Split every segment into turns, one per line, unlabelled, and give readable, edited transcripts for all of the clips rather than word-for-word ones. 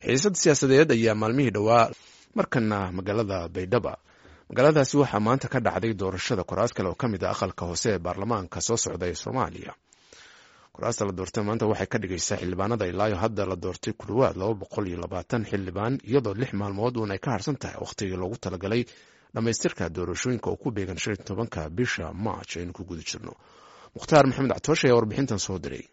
Xiisad siyaasadeed ayaa maalmihii dhowaa markana magaalada Baydhaba. Magaaladaasi waxaa maanta ka dhacday doorashada kuraas kale oo ka mid ah aqalka hoose ee baarlamaanka soo socda ee Soomaaliya. Kuraasta la doortay maanta waxay ka dhigaysaa xildhibaanada ilaayo hadda la doortay ku dhowaad 220 xildhibaan, iyadoo 6 maalmood uun ay ka harsan tahay wakhtigii loogu talagalay dhammaystirka doorashooyinka oo ku beegan 15-ka bisha March aynu ku guda jirno. Mukhtaar Maxamed Catooshe ayaa warbixintan soo diray.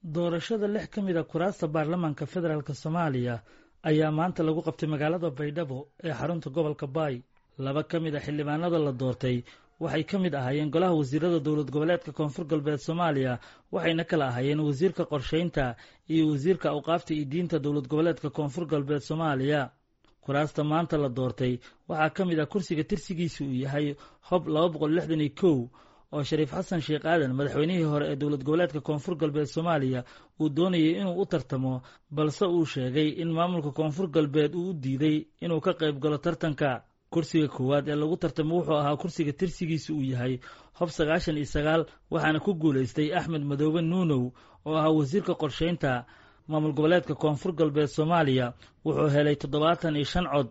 Doorashada lix ka mid ah kuraasta baarlamaanka federaalka Soomaaliya ayaa maanta lagu qabtay magaalada Baydhabo ee xarunta gobolka Baay. Laba ka mid ah xildhibaanada la doortay waxay ka mid ahaayeen golaha wasiirada Dowlad Goboleedka Koonfur Galbeed Soomaaliya, waxayna kala ahaayeen wasiirka qorsheynta iyo wasiirka awqaafta iyo diinta Dowlad Goboleedka Koonfur Galbeed Soomaaliya. Kuraasta maanta la doortay waxaa ka mid ah kursiga tirsigiisa uu yahay Hob 261, oo Shariif Xasan Sheekh Aadan, madaxweynihii hore ee Dowlad Goboleedka Koonfur Galbeed Soomaaliya, uu doonayay inuu u tartamo, balse uu sheegay in maamulka Koonfur Galbeed uu u diiday inuu ka qayb galo tartanka. Kursiga koowaad ee lagu tartamo wuxuu ahaa kursiga tirsigiisa uu yahay Hob 99, waxaana ku guulaystay Axmed Madoobe Nuunow, oo ahaa wasiirka qorsheynta maamul goboleedka Koonfur Galbeed Soomaaliya. Wuxuu helay 75 cod,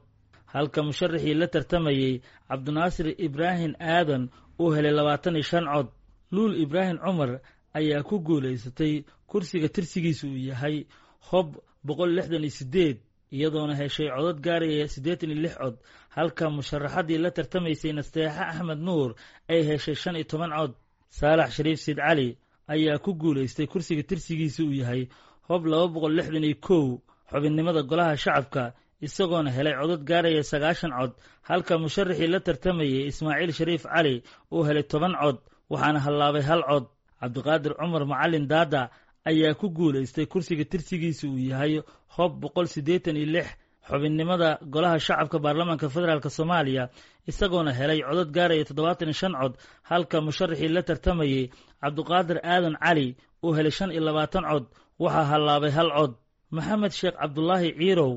halka musharaxii la tartamayey, Cabdinaasir Ibraahim Aadan, uu helay 25 cod. Luul Ibraahim Cumar ayaa ku guulaysatay kursiga tirsigiisa uu yahay Hob 168, iyadoona heshay codad gaaraya 86 cod, halka musharaxadii la tartamaysay, Nasteexe Axmed Nuur, ay heshay 15 cod. Saalax Shariif Siid Cali ayaa ku guulaystay kursiga tirsigiisa uu yahay Hob 261, xubinnimada golaha shacabka, isagoona helay codad gaaraya 90 cod, halka musharaxii la tartamayey, Ismaaciil Shariif Cali, uu helay 10 cod, waxaana hallaabay hal cod. Cabdiqaadir Cumar Macalin Daada ayaa ku guulaystay kursiga tirsigiisa uu yahay Hob 186, xubinnimada golaha shacabka baarlamaanka federaalka Soomaaliya, isagoona helay codad gaaraya 75 cod, halka musharaxii la tartamayey, Cabdiqaadir Aadan Cali, uu helay 25 cod, waxaa hallaabay hal cod. Maxamed Sheekh Cabdulaahi Ciirow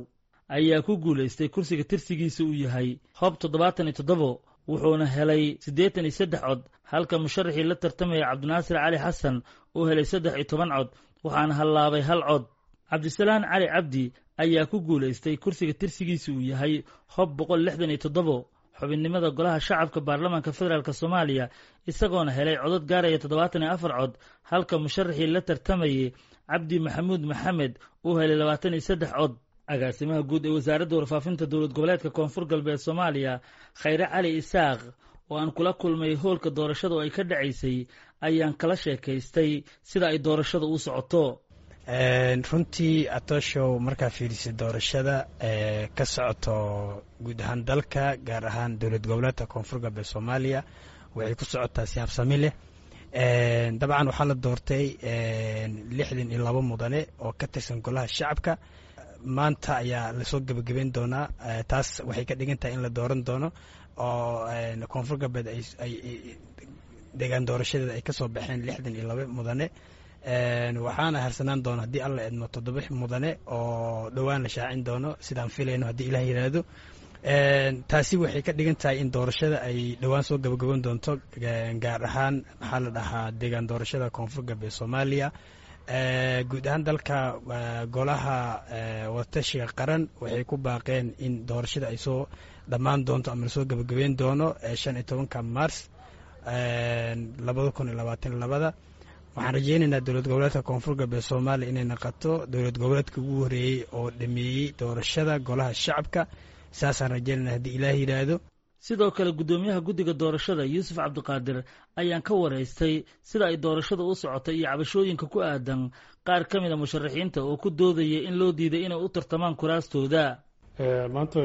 ayaa ku guulaystay kursiga tirsigiisa uu yahay Hob 77, wuxuuna helay 83 cod, halka musharaxii la tartamaya, Cabdinaasir Cali Xasan, uu helay 13 cod, waxaana hallaabay hal cod. Cabdisalaan Cali Cabdi ayaa ku guulaystay kursiga tirsigiisa uu yahay Hob 167, xubinnimada golaha shacabka baarlamaanka federaalka Soomaaliya, isagoona helay codad gaaraya 74 cod, halka musharaxii la tartamayey, Cabdi Maxamuud Maxamed, uu helay 23 cod. Agaasimaha guud ee Wasaaradda Warfaafinta Dowlad Goboleedka Koonfur Galbeed Soomaaliya, Khayre Cali Isaaq, oo aan kula kulmay hoolka doorashada oo ay ka dhacaysay, ayaan kala sheekaystay sida ay doorashada u socoto.
Runtii Atooshow, markaa fiirisay doorashada ka socoto guud ahaan dalka, gaar ahaan Dowlad Goboleedka Koonfur Galbeed Soomaaliya, waxay ku socotaa si habsami leh. Dabcan waxaa la doortay 62 mudane oo ka tirsan golaha shacabka. Maanta ayaa lasoo gebagabeyn doonaa. Taas waxay ka dhigan tahay in la dooran doono oo Koonfur Galbeed ay deegaan doorashadeeda ay kasoo baxeen 62 mudane. Waxaana harsanaan doona, haddii Alla idmo, toddoba mudane oo dhowaan la shaacin doono, sidaan filayno, haddii Ilaah yidhaahdo. Taasi waxay ka dhigan tahay in doorashada ay dhowaan soo gabagaban doonto, gaar ahaan, maxaa la dhahaa, deegaan doorashada Koonfur Galbeed Soomaaliya. Guud ahaan dalka, Golaha Wadatashiga Qaran waxay ku baaqeen in doorashada ay soo dhammaan doonto ama lasoo gabagabeyn doono 15-ka Mars 2022. Waxaan rajeynaynaa Dowlad Goboleedka Koonfur Galbeed Soomaaliya inay naqato dowlad goboleedka ugu horeeyey oo dhameeyey doorashada golaha shacabka. Saasaan rajeynayna, haddii Ilaah yidhaahdo.
Sidoo kale, guddoomiyaha guddiga doorashada, Yuusuf Cabdiqaadir, ayaan ka waraystay sida ay doorashada u socotay iyo cabashooyinka ku aadan qaar ka mid ah musharaxiinta oo ku doodaya in loo diiday inay u tartamaan kuraastooda.
Maanta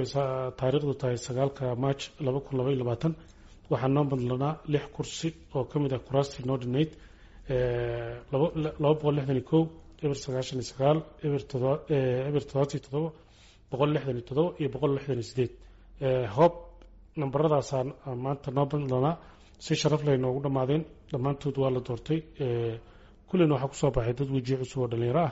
taariikhdu tahay 9-ka March 2022, waxaa noo madlanaa lix kursi oo ka mid ah kuraastii noo dhinayd: 261, 099, 0 077, 167 iyo 168. Hoob nambaradaasaa maanta noo madlanaa. Si sharaf leh noogu dhammaadeen dhammaantood, waa la doortay. Kullina waxaa kusoo baxay dad wejiyo cusub oo dhalinyaro ah.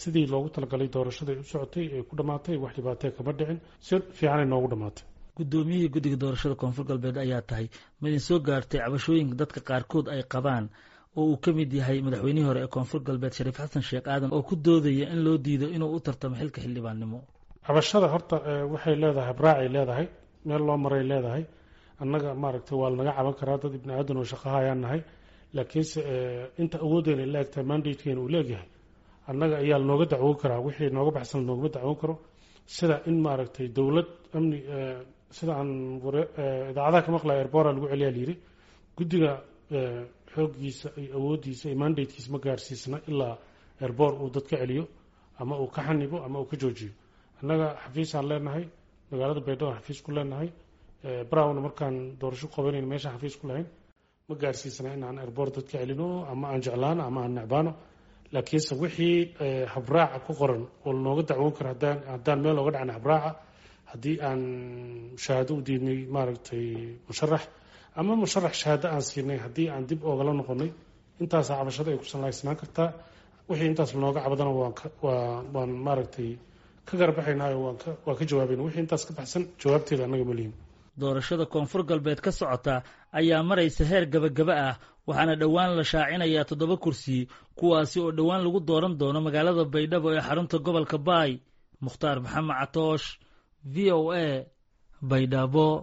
Sidii loogu talagalay doorashada ay u socotay ay ku dhammaatay, wax dhibaatee kama dhicin, si fiicanay noogu dhammaatay.
Guddoomiyihii guddiga doorashada Koonfur Galbeed ayaa tahay. Madin soo gaartay cabashooyinka dadka qaarkood ay qabaan oo uu ka mid yahay madaxweynihii hore ee Koonfur Galbeed Shariif Xasan Sheekh Aadan oo ku doodaya in loo diido inuu u tartamo xilka xildhibaannimo.
Cabashada horta waxay leedahay habraacay leedahay, meel loo maray leedahay. Annaga maaragtay waa lanaga caban karaa, dad ibni aadan oo shaqaha ayaan nahay, laakiinse inta awoodeyna la egtahay, mandatekeena uu leegyahay, annaga ayaa lanooga dacwoon karaa. Wixii nooga baxsan lanoogama dacwoon karo, sida in maaragtay dowlad amni, sida aan idaacadaha ka maqlaya, airport lagu celiyaa layidhi. Guddiga xooggiisa iyo awooddiisa iyo mandatekiisa ma gaarsiisna ilaa airport uu dad ka celiyo ama uu ka xanibo ama uu ka joojiyo. Annaga xafiisaan leenahay magaalada Baydhabo, xafiis ku leenahay browna. Markaan doorasho qabanayn meeshaan xafiis ku lahayn, ma gaarsiisna in aan airport dad ka celino, ama aan jeclaano ama aan necbaano. Laakiinse wixii habraaca ku qoran oo lanooga dacwoon karo, haddaan meel ooga dhacna habraaca, haddii aan shahaado u diidnay maaragtay musharax, ama musharax shahaado aan siinay haddii aan dib oogala noqonay, intaasaa cabashada ay ku salaysnaan kartaa. Wixii intaas lanooga cabadana waan maaragtay ka garbaxaynaayo, waan ka jawaabayna. Wixii intaas ka baxsan jawaabteeda annaga ma lihin.
Doorashada Koonfur Galbeed ka socota ayaa maraysa heer gabagaba ah, waxaana dhowaan la shaacinayaa 7 kursi, kuwaasi oo dhowaan lagu dooran doono magaalada Baydhabo ee xarunta gobolka Baay. Mukhtaar Maxamed Catoosh, VOA, Baydhabo.